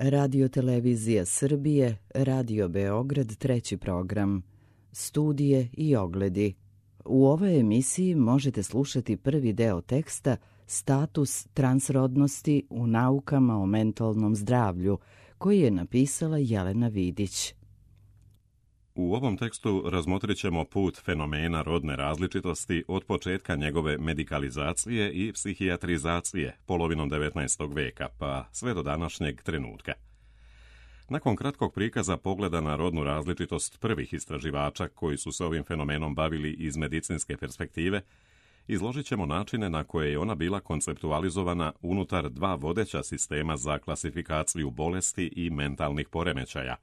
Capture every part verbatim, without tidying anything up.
Radio Televizija Srbije, Radio Beograd, treći program, studije i ogledi. U ovoj emisiji možete slušati prvi deo teksta Status transrodnosti u naukama o mentalnom zdravlju, koji je napisala Jelena Vidić. U ovom tekstu razmotrit ćemo put fenomena rodne različitosti od početka njegove medikalizacije i psihijatrizacije polovinom devetnaestog veka pa sve do današnjeg trenutka. Nakon kratkog prikaza pogleda na rodnu različitost prvih istraživača koji su se ovim fenomenom bavili iz medicinske perspektive, izložit ćemo načine na koje je ona bila konceptualizovana unutar dva vodeća sistema za klasifikaciju bolesti i mentalnih poremećaja,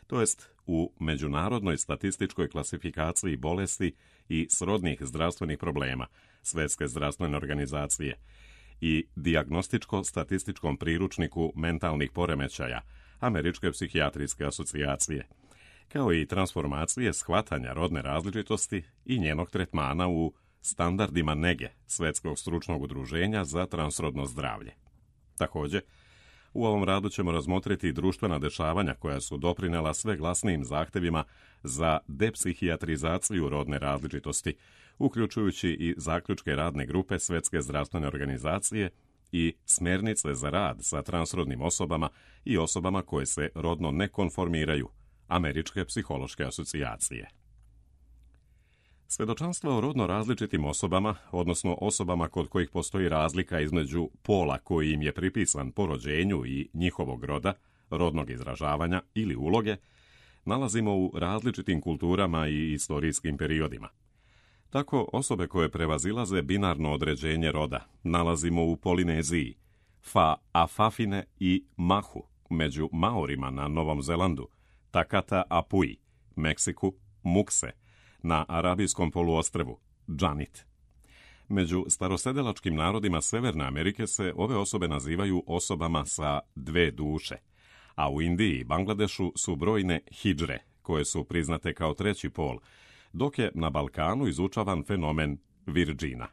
to jest u Međunarodnoj statističkoj klasifikaciji bolesti i srodnih zdravstvenih problema Svjetske zdravstvene organizacije i Dijagnostičko-statističkom priručniku mentalnih poremećaja Američke psihijatrijske asocijacije, kao i transformacije shvatanja rodne različitosti i njenog tretmana u standardima nege Svjetskog stručnog udruženja za transrodno zdravlje. Također, u ovom radu ćemo razmotriti društvena dešavanja koja su doprinela sve glasnijim zahtjevima za depsihijatrizaciju rodne različitosti, uključujući i zaključke radne grupe Svjetske zdravstvene organizacije i smjernice za rad sa transrodnim osobama i osobama koje se rodno ne konformiraju Američke psihološke asocijacije. Svjedočanstva o rodno različitim osobama, odnosno osobama kod kojih postoji razlika između pola koji im je pripisan po rođenju i njihovog roda, rodnog izražavanja ili uloge, nalazimo u različitim kulturama i istorijskim periodima. Tako osobe koje prevazilaze binarno određenje roda nalazimo u Polineziji, Fa Afafine i Mahu, među Maorima na Novom Zelandu, Takata Apui, Meksiku, Mukse, na Arabijskom poluostrvu, Džanit. Među starosedelačkim narodima Severne Amerike se ove osobe nazivaju osobama sa dve duše, a u Indiji i Bangladešu su brojne hidžre, koje su priznate kao treći pol, dok je na Balkanu izučavan fenomen virđina.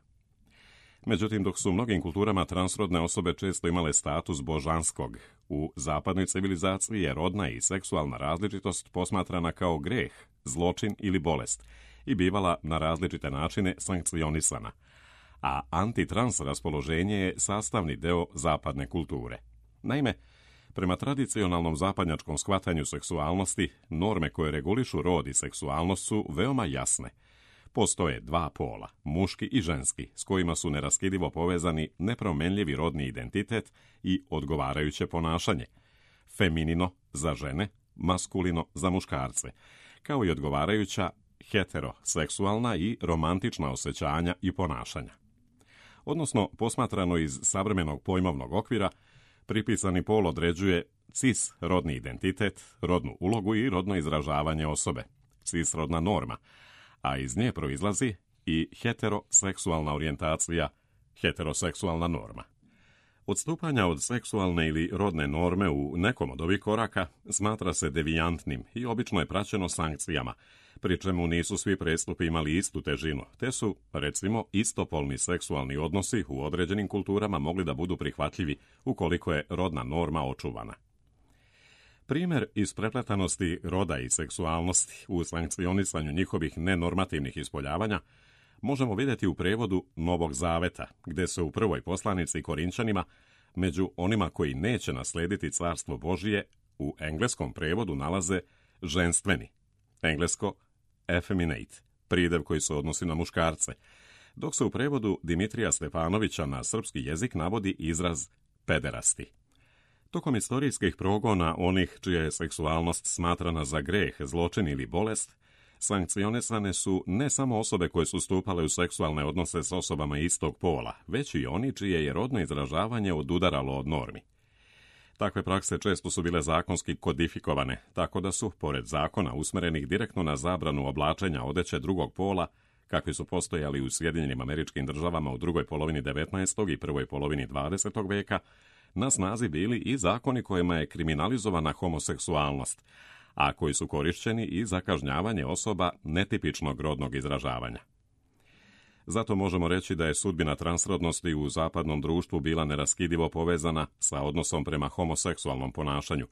Međutim, dok su u mnogim kulturama transrodne osobe često imale status božanskog, u zapadnoj civilizaciji je rodna i seksualna različitost posmatrana kao greh, zločin ili bolest i bivala na različite načine sankcionisana, a antitrans raspoloženje je sastavni deo zapadne kulture. Naime, prema tradicionalnom zapadnjačkom shvatanju seksualnosti, norme koje regulišu rod i seksualnost su veoma jasne. Postoje dva pola, muški i ženski, s kojima su neraskidivo povezani nepromenljivi rodni identitet i odgovarajuće ponašanje. Feminino za žene, maskulino za muškarce, kao i odgovarajuća heteroseksualna i romantična osjećanja i ponašanja. Odnosno, posmatrano iz savremenog pojmovnog okvira, pripisani pol određuje cis rodni identitet, rodnu ulogu i rodno izražavanje osobe, cis rodna norma, a iz nje proizlazi i heteroseksualna orijentacija, heteroseksualna norma. Odstupanja od seksualne ili rodne norme u nekom od ovih koraka smatra se devijantnim i obično je praćeno sankcijama, pri čemu nisu svi prestupi imali istu težinu, te su, recimo, istopolni seksualni odnosi u određenim kulturama mogli da budu prihvatljivi ukoliko je rodna norma očuvana. Primjer isprepletanosti roda i seksualnosti u sankcionisanju njihovih nenormativnih ispoljavanja možemo vidjeti u prevodu Novog Zaveta, gdje se u prvoj poslanici Korinčanima među onima koji neće naslediti carstvo Božije u engleskom prevodu nalaze ženstveni, englesko effeminate, pridev koji se odnosi na muškarce, dok se u prevodu Dimitrija Stefanovića na srpski jezik navodi izraz pederasti. Tokom istorijskih progona onih čija je seksualnost smatrana za greh, zločin ili bolest, sankcionisane su ne samo osobe koje su stupale u seksualne odnose s osobama istog pola, već i oni čije je rodno izražavanje odudaralo od normi. Takve prakse često su bile zakonski kodifikovane, tako da su, pored zakona usmerenih direktno na zabranu oblačenja odeće drugog pola, kakvi su postojali u Sjedinjenim Američkim Državama u drugoj polovini devetnaestog i prvoj polovini dvadesetog veka, na snazi bili i zakoni kojima je kriminalizovana homoseksualnost, a koji su korišćeni i za kažnjavanje osoba netipičnog rodnog izražavanja. Zato možemo reći da je sudbina transrodnosti u zapadnom društvu bila neraskidivo povezana sa odnosom prema homoseksualnom ponašanju,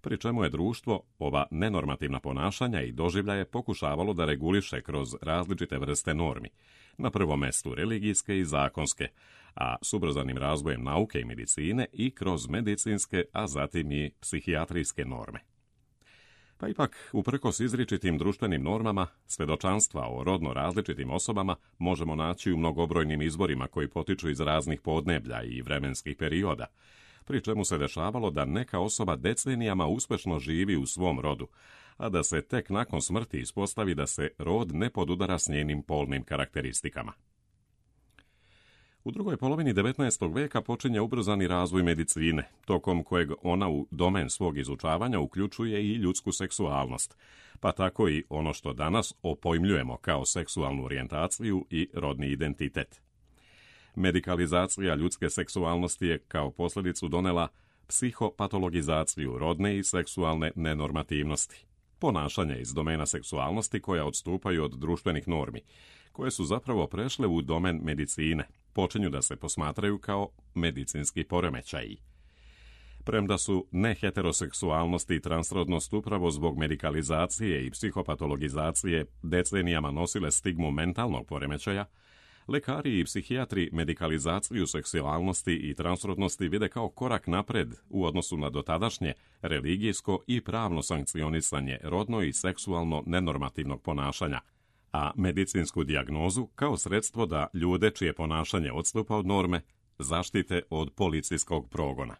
pri čemu je društvo ova nenormativna ponašanja i doživljaje pokušavalo da reguliše kroz različite vrste normi, na prvom mestu religijske i zakonske, a s ubrzanim razvojem nauke i medicine i kroz medicinske, a zatim i psihijatrijske norme. Pa ipak, uprkos izričitim društvenim normama, svjedočanstva o rodno različitim osobama možemo naći u mnogobrojnim izvorima koji potiču iz raznih podneblja i vremenskih perioda, pri čemu se dešavalo da neka osoba decenijama uspešno živi u svom rodu, a da se tek nakon smrti ispostavi da se rod ne podudara s njenim polnim karakteristikama. U drugoj polovini devetnaestog veka počinje ubrzani razvoj medicine, tokom kojeg ona u domen svog izučavanja uključuje i ljudsku seksualnost, pa tako i ono što danas opojmljujemo kao seksualnu orijentaciju i rodni identitet. Medikalizacija ljudske seksualnosti je kao posljedicu donela psihopatologizaciju rodne i seksualne nenormativnosti, ponašanje iz domena seksualnosti koja odstupaju od društvenih normi, koje su zapravo prešle u domen medicine, počinju da se posmatraju kao medicinski poremećaji. Premda su neheteroseksualnost i transrodnost upravo zbog medikalizacije i psihopatologizacije decenijama nosile stigmu mentalnog poremećaja, lekari i psihijatri medikalizaciju seksualnosti i transrodnosti vide kao korak napred u odnosu na dotadašnje religijsko i pravno sankcionisanje rodno i seksualno nenormativnog ponašanja, a medicinsku dijagnozu kao sredstvo da ljude čije ponašanje odstupa od norme zaštite od policijskog progona.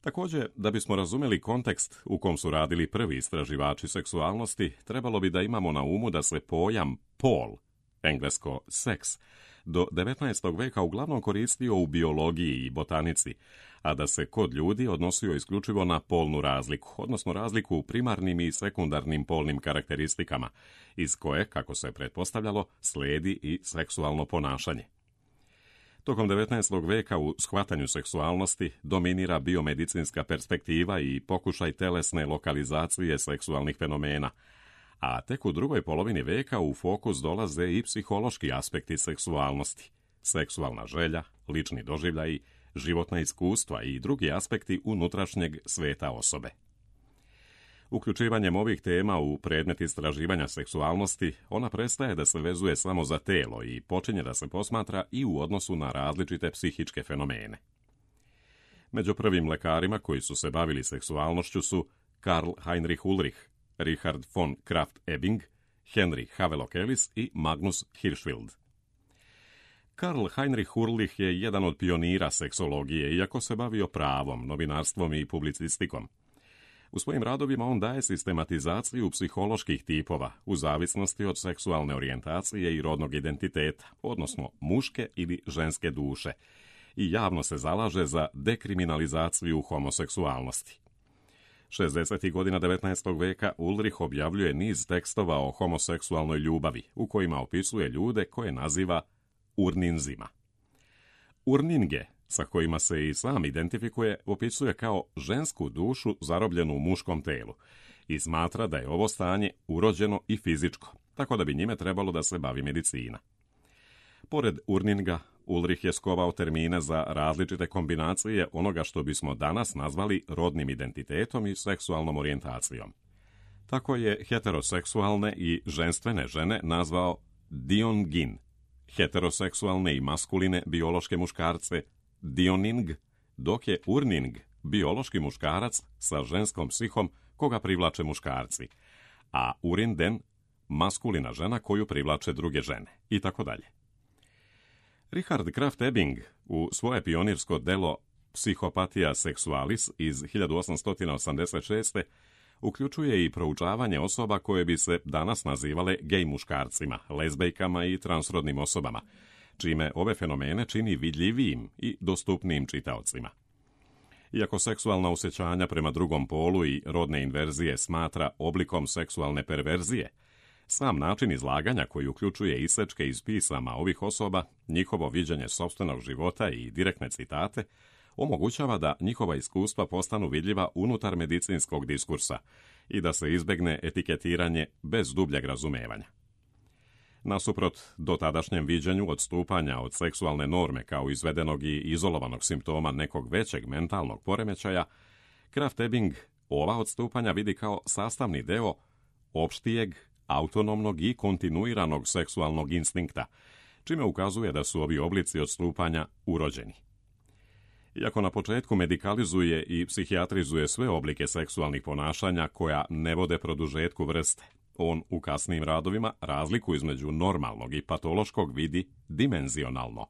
Također, da bismo razumjeli kontekst u kom su radili prvi istraživači seksualnosti, trebalo bi da imamo na umu da se pojam pol, englesko seks, do devetnaestog veka uglavnom koristio u biologiji i botanici, a da se kod ljudi odnosio isključivo na polnu razliku, odnosno razliku u primarnim i sekundarnim polnim karakteristikama, iz koje, kako se pretpostavljalo, slijedi i seksualno ponašanje. Tokom devetnaestog veka u shvatanju seksualnosti dominira biomedicinska perspektiva i pokušaj telesne lokalizacije seksualnih fenomena, a tek u drugoj polovini veka u fokus dolaze i psihološki aspekti seksualnosti, seksualna želja, lični doživljaji, životna iskustva i drugi aspekti unutrašnjeg sveta osobe. Uključivanjem ovih tema u predmet istraživanja seksualnosti, ona prestaje da se vezuje samo za telo i počinje da se posmatra i u odnosu na različite psihičke fenomene. Među prvim lekarima koji su se bavili seksualnošću su Karl Heinrich Ulrich, Richard von Krafft-Ebing, Henry Havelock Ellis i Magnus Hirschfeld. Karl Heinrich Ulrich je jedan od pionira seksologije, iako se bavio pravom, novinarstvom i publicistikom. U svojim radovima on daje sistematizaciju psiholoških tipova u zavisnosti od seksualne orijentacije i rodnog identiteta, odnosno muške ili ženske duše, i javno se zalaže za dekriminalizaciju homoseksualnosti. šezdesetih godina devetnaestog veka Ulrich objavljuje niz tekstova o homoseksualnoj ljubavi, u kojima opisuje ljude koje naziva urninzima. Urninge, sa kojima se i sam identifikuje, opisuje kao žensku dušu zarobljenu u muškom telu i smatra da je ovo stanje urođeno i fizičko, tako da bi njime trebalo da se bavi medicina. Pored urninga, Ulrich je skovao termine za različite kombinacije onoga što bismo danas nazvali rodnim identitetom i seksualnom orijentacijom. Tako je heteroseksualne i ženstvene žene nazvao diongin, heteroseksualne i maskuline biološke muškarce dioning, dok je urning biološki muškarac sa ženskom psihom koga privlače muškarci, a urinden maskulina žena koju privlače druge žene, i tako dalje. Richard Krafft-Ebing u svoje pionirsko delo Psychopathia sexualis iz hiljadu osamsto osamdeset šeste uključuje i proučavanje osoba koje bi se danas nazivale gej muškarcima, lezbejkama i transrodnim osobama, čime ove fenomene čini vidljivijim i dostupnijim čitaocima. Iako seksualna osjećanja prema drugom polu i rodne inverzije smatra oblikom seksualne perverzije, sam način izlaganja koji uključuje isečke iz pisama ovih osoba, njihovo viđenje sopstvenog života i direktne citate, omogućava da njihova iskustva postanu vidljiva unutar medicinskog diskursa i da se izbegne etiketiranje bez dubljeg razumevanja. Nasuprot dotadašnjem viđenju odstupanja od seksualne norme kao izvedenog i izolovanog simptoma nekog većeg mentalnog poremećaja, Krafft-Ebing ova odstupanja vidi kao sastavni deo opštijeg, autonomnog i kontinuiranog seksualnog instinkta, čime ukazuje da su ovi oblici odstupanja urođeni. Iako na početku medikalizuje i psihijatrizuje sve oblike seksualnih ponašanja koja ne vode produžetku vrste, on u kasnijim radovima razliku između normalnog i patološkog vidi dimenzionalno,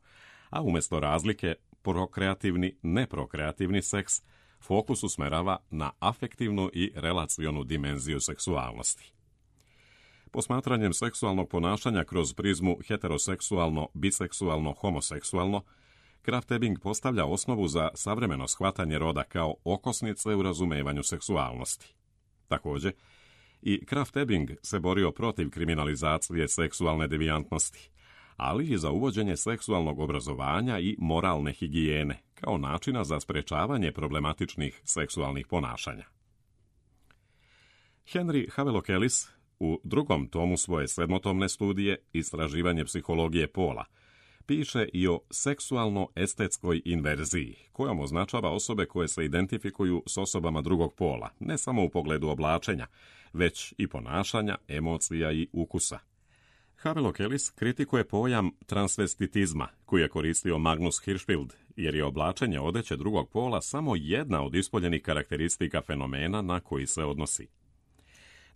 a umjesto razlike prokreativni-neprokreativni seks fokus usmerava na afektivnu i relacionu dimenziju seksualnosti. Posmatranjem seksualnog ponašanja kroz prizmu heteroseksualno, biseksualno, homoseksualno, Krafft-Ebing postavlja osnovu za savremeno shvatanje roda kao okosnice u razumevanju seksualnosti. Također, i Krafft-Ebing se borio protiv kriminalizacije seksualne devijantnosti, ali i za uvođenje seksualnog obrazovanja i moralne higijene kao načina za sprečavanje problematičnih seksualnih ponašanja. Henry Havelock Ellis u drugom tomu svoje sedmotomne studije Istraživanje psihologije pola piše i o seksualno-estetskoj inverziji, kojom označava osobe koje se identifikuju s osobama drugog pola, ne samo u pogledu oblačenja, već i ponašanja, emocija i ukusa. Havelock Ellis kritikuje pojam transvestitizma, koji je koristio Magnus Hirschfeld, jer je oblačenje odeće drugog pola samo jedna od ispoljenih karakteristika fenomena na koji se odnosi.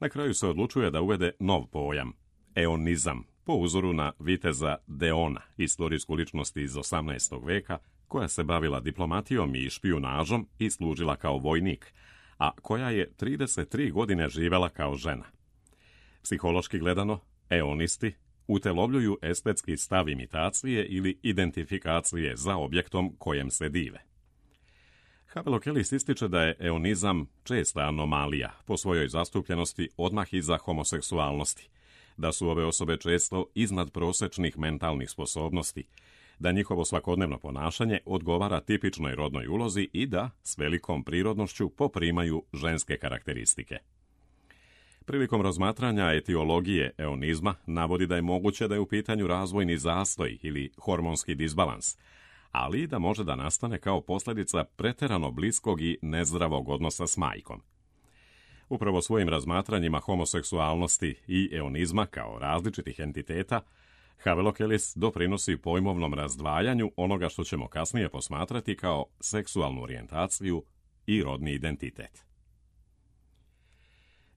Na kraju se odlučuje da uvede nov pojam, eonizam, po uzoru na viteza Deona, istorijsku ličnost iz osamnaestog veka, koja se bavila diplomatijom i špijunažom i služila kao vojnik, a koja je trideset tri godine živela kao žena. Psihološki gledano, eonisti utelovljuju estetski stav imitacije ili identifikacije za objektom kojem se dive. Havelock Ellis ističe da je eonizam česta anomalija po svojoj zastupljenosti odmah iza homoseksualnosti, da su ove osobe često iznad prosečnih mentalnih sposobnosti, da njihovo svakodnevno ponašanje odgovara tipičnoj rodnoj ulozi i da s velikom prirodnošću poprimaju ženske karakteristike. Prilikom razmatranja etiologije eonizma navodi da je moguće da je u pitanju razvojni zastoj ili hormonski disbalans, ali i da može da nastane kao posljedica pretjerano bliskog i nezdravog odnosa s majkom. Upravo svojim razmatranjima homoseksualnosti i eonizma kao različitih entiteta, Havelock Ellis doprinosi pojmovnom razdvajanju onoga što ćemo kasnije posmatrati kao seksualnu orijentaciju i rodni identitet.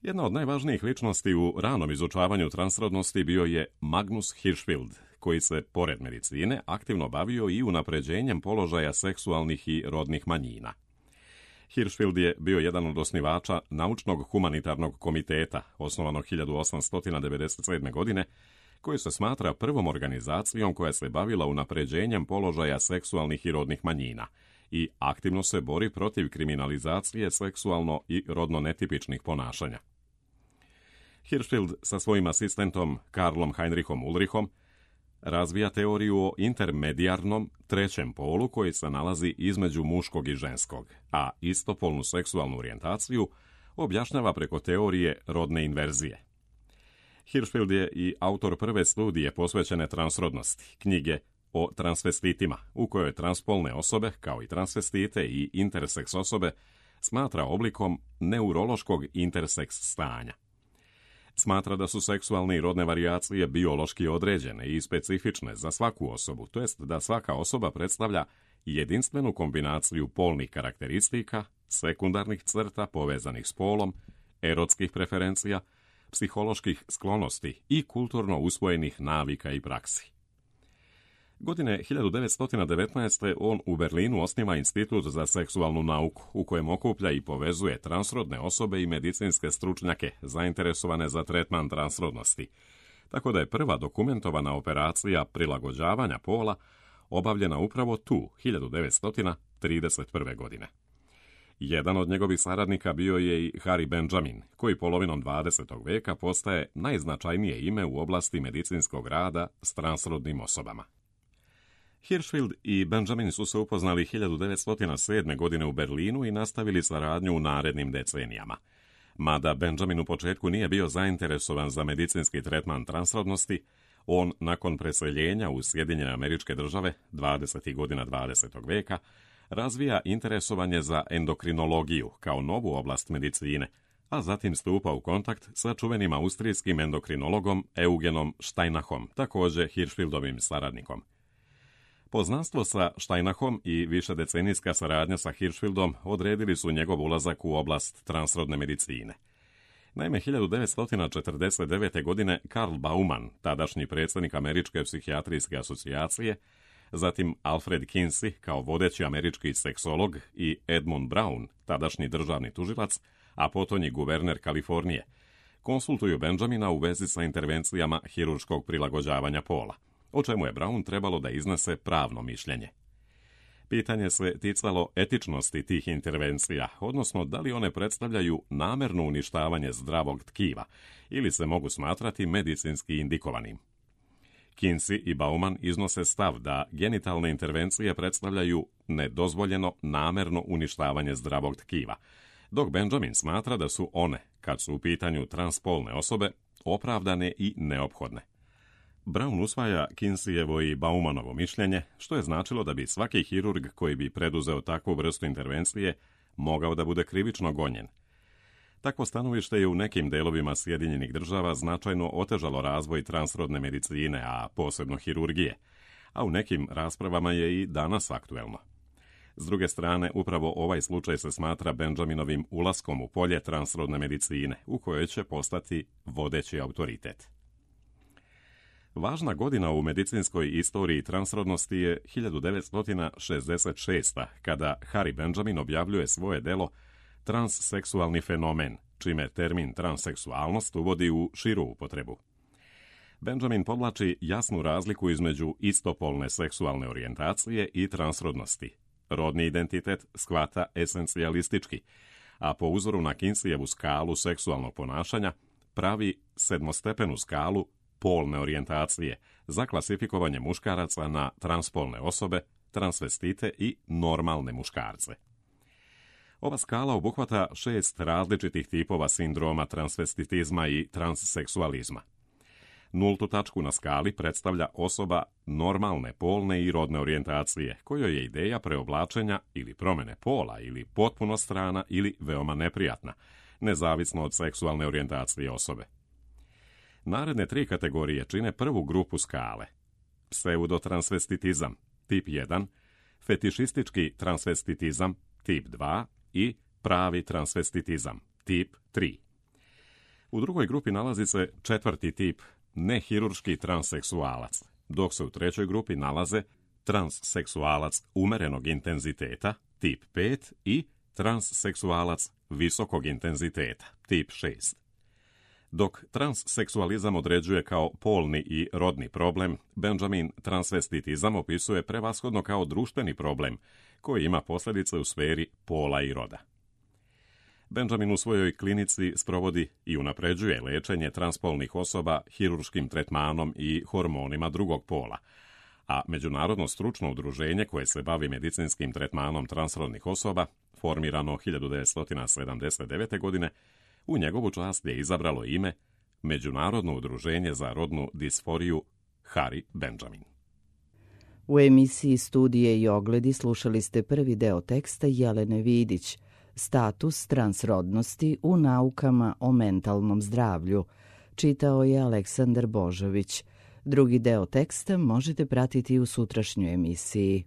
Jedna od najvažnijih ličnosti u ranom izučavanju transrodnosti bio je Magnus Hirschfeld, koji se, pored medicine, aktivno bavio i unapređenjem položaja seksualnih i rodnih manjina. Hirschfeld je bio jedan od osnivača Naučnog humanitarnog komiteta, osnovanog hiljadu osamsto devedeset sedme. godine, koji se smatra prvom organizacijom koja se bavila unapređenjem položaja seksualnih i rodnih manjina i aktivno se bori protiv kriminalizacije seksualno i rodno netipičnih ponašanja. Hirschfeld sa svojim asistentom Karlom Heinrichom Ulrichom razvija teoriju o intermedijarnom trećem polu koji se nalazi između muškog i ženskog, a istopolnu seksualnu orijentaciju objašnjava preko teorije rodne inverzije. Hirschfeld je i autor prve studije posvećene transrodnosti, knjige o transvestitima, u kojoj transpolne osobe, kao i transvestite i interseks osobe, smatra oblikom neurološkog interseks stanja. Smatra da su seksualne i rodne varijacije biološki određene i specifične za svaku osobu, to jest da svaka osoba predstavlja jedinstvenu kombinaciju polnih karakteristika, sekundarnih crta povezanih s polom, erotskih preferencija, psiholoških sklonosti i kulturno usvojenih navika i praksi. Godine hiljadu devetsto devetnaeste. on u Berlinu osniva Institut za seksualnu nauku, u kojem okuplja i povezuje transrodne osobe i medicinske stručnjake zainteresovane za tretman transrodnosti, tako da je prva dokumentovana operacija prilagođavanja pola obavljena upravo tu, hiljadu devetsto trideset prve. godine. Jedan od njegovih saradnika bio je i Harry Benjamin, koji polovinom dvadesetog veka postaje najznačajnije ime u oblasti medicinskog rada s transrodnim osobama. Hirschfeld i Benjamin su se upoznali hiljadu devetsto sedme. godine u Berlinu i nastavili saradnju u narednim decenijama. Mada Benjamin u početku nije bio zainteresovan za medicinski tretman transrodnosti, On, nakon preseljenja u Sjedinjene Američke Države dvadesetih godina dvadesetog veka, razvija interesovanje za endokrinologiju kao novu oblast medicine, a zatim stupa u kontakt sa čuvenim austrijskim endokrinologom Eugenom Steinachom, također Hirschfeldovim saradnikom. Poznanstvo sa Steinachom i višedecenijska saradnja sa Hirschfeldom odredili su njegov ulazak u oblast transrodne medicine. Naime, hiljadu devetsto četrdeset devete. godine Karl Baumann, tadašnji predsjednik Američke psihijatrijske asocijacije, zatim Alfred Kinsey kao vodeći američki seksolog i Edmund Brown, tadašnji državni tužilac, a potonji guverner Kalifornije, konsultuju Benjamina u vezi sa intervencijama hirurškog prilagođavanja pola, o čemu je Brown trebalo da iznese pravno mišljenje. Pitanje se ticalo etičnosti tih intervencija, odnosno da li one predstavljaju namerno uništavanje zdravog tkiva ili se mogu smatrati medicinski indikovanim. Kinsey i Baumann iznose stav da genitalne intervencije predstavljaju nedozvoljeno namerno uništavanje zdravog tkiva, dok Benjamin smatra da su one, kad su u pitanju transpolne osobe, opravdane i neophodne. Brown usvaja Kinseyevo i Baumanovo mišljenje, što je značilo da bi svaki hirurg koji bi preduzeo takvu vrstu intervencije mogao da bude krivično gonjen. Takvo stanovište je u nekim delovima Sjedinjenih Država značajno otežalo razvoj transrodne medicine, a posebno hirurgije, a u nekim raspravama je i danas aktuelno. S druge strane, upravo ovaj slučaj se smatra Benjaminovim ulaskom u polje transrodne medicine, u kojoj će postati vodeći autoritet. Važna godina u medicinskoj istoriji transrodnosti je hiljadu devetsto šezdeset šesta. kada Harry Benjamin objavljuje svoje delo Transseksualni fenomen, čime termin transseksualnost uvodi u širu upotrebu. Benjamin podvlači jasnu razliku između istopolne seksualne orijentacije i transrodnosti. Rodni identitet shvata esencijalistički, a po uzoru na Kinseyevu skalu seksualnog ponašanja pravi sedmostepenu skalu polne orijentacije za klasifikovanje muškaraca na transpolne osobe, transvestite i normalne muškarce. Ova skala obuhvata šest različitih tipova sindroma transvestitizma i transseksualizma. Nultu tačku na skali predstavlja osoba normalne polne i rodne orijentacije, kojoj je ideja preoblačenja ili promene pola ili potpuno strana ili veoma neprijatna, nezavisno od seksualne orijentacije osobe. Naredne tri kategorije čine prvu grupu skale: pseudotransvestitizam, tip jedan, fetišistički transvestitizam, tip dva i pravi transvestitizam, tip tri. U drugoj grupi nalazi se četvrti tip, nehirurški transseksualac, dok se u trećoj grupi nalaze transseksualac umerenog intenziteta, tip pet, i transseksualac visokog intenziteta, tip šest. Dok transseksualizam određuje kao polni i rodni problem, Benjamin transvestitizam opisuje prevashodno kao društveni problem koji ima posljedice u sferi pola i roda. Benjamin u svojoj klinici sprovodi i unapređuje lečenje transpolnih osoba hirurškim tretmanom i hormonima drugog pola, a Međunarodno stručno udruženje koje se bavi medicinskim tretmanom transrodnih osoba, formirano hiljadu devetsto sedamdeset devete. godine, u njegovu čast je izabralo ime Međunarodno udruženje za rodnu disforiju Harry Benjamin. U emisiji Studije i ogledi slušali ste prvi deo teksta Jelene Vidić, Status transrodnosti u naukama o mentalnom zdravlju. Čitao je Aleksandar Božović. Drugi deo teksta možete pratiti u sutrašnjoj emisiji.